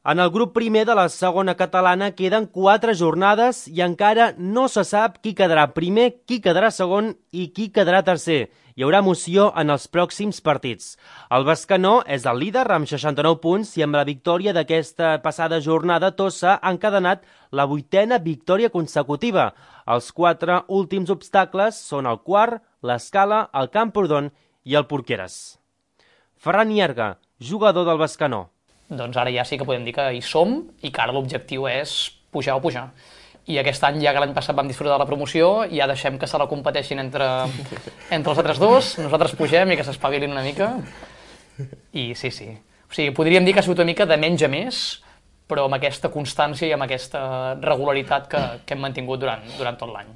En el grup primer de la segona catalana queden 4 jornades i encara no se sap qui quedarà primer, qui quedarà segon i qui quedarà tercer. Hi haurà emoció en els pròxims partits. El Bescanó és el líder amb 69 punts i amb la victòria d'aquesta passada jornada Tossa ha encadenat la 8a victòria consecutiva. Els 4 últims obstacles són el Quart, l'Escala, el Camprodon i el Porqueres. Ferran Ierga, jugador del Bescanó. Doncs ara ja sí que podem dir que hi som i que ara l'objectiu és pujar o pujar. I aquest any, ja que l'any passat vam disfrutar de la promoció, ja deixem que se la competeixin entre els altres dos, nosaltres pugem i que s'espavilin una mica. I sí. O sigui, podríem dir que ha sigut una mica de menys a més, però amb aquesta constància i amb aquesta regularitat que hem mantingut durant tot l'any.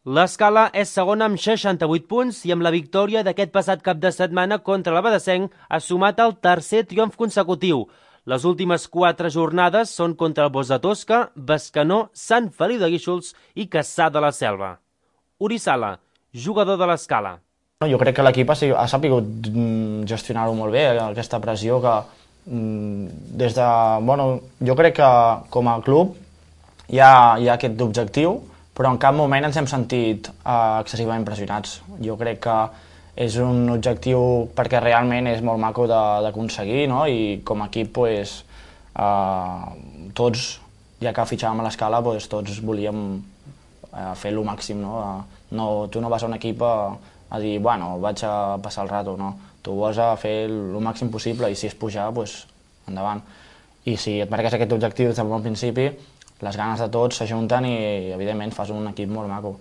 L'Escala és segona amb 68 punts i amb la victòria d'aquest passat cap de setmana contra l'Abadesenc ha sumat el tercer triomf consecutiu. Les últimes 4 jornades són contra el Bos de Tosca, Bescanó, Sant Feliu de Guíxols i Cassà de la Selva. Uri Sala, jugador de l'Escala. Jo crec que l'equip ha sabut gestionar-ho molt bé, aquesta pressió que des de... jo crec que com a club hi ha aquest objectiu, però en cap moment ens hem sentit excessivament pressionats. Jo crec que és un objectiu perquè realment és molt maco d'aconseguir, no? I com a equip, tots, ja que fitxàvem a l'Escala, tots volíem fer el màxim. Tu no vas a un equip a dir, bueno, vaig a passar el rato, no. Tu vas a fer el màxim possible i si és pujar, endavant. I si et marques aquest objectiu des del bon principi, les ganes de tots s'ajunten i, evidentment, fas un equip molt maco.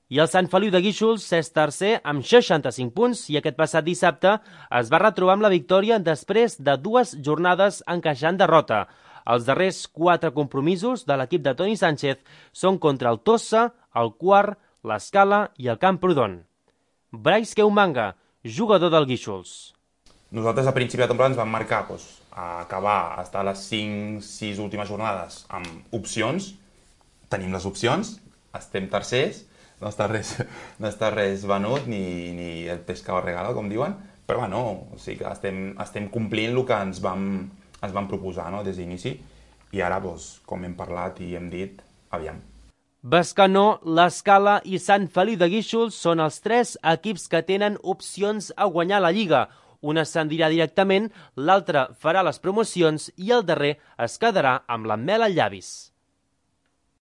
I el Sant Feliu de Guíxols és tercer amb 65 punts i aquest passat dissabte es va retrobar amb la victòria després de 2 jornades encaixant derrota. Els darrers 4 compromisos de l'equip de Toni Sánchez són contra el Tossa, el Quart, l'Escala i el Camprodon. Brais Keumanga, jugador del Guíxols. Nosaltres a principi de temporada ens vam marcar a acabar, estar a les 5-6 últimes jornades amb opcions. Tenim les opcions, estem tercers, no està res venut, ni el pescado regalo, com diuen, però bueno, o sigui que estem complint el que ens vam proposar, no, des d'inici, i ara, com hem parlat i hem dit, aviam. Bescanó, l'Escala i Sant Feliu de Guíxols són els 3 equips que tenen opcions a guanyar la Lliga. Un ascendirà directament, l'altre farà les promocions i el darrer es quedarà amb la mel als llavis.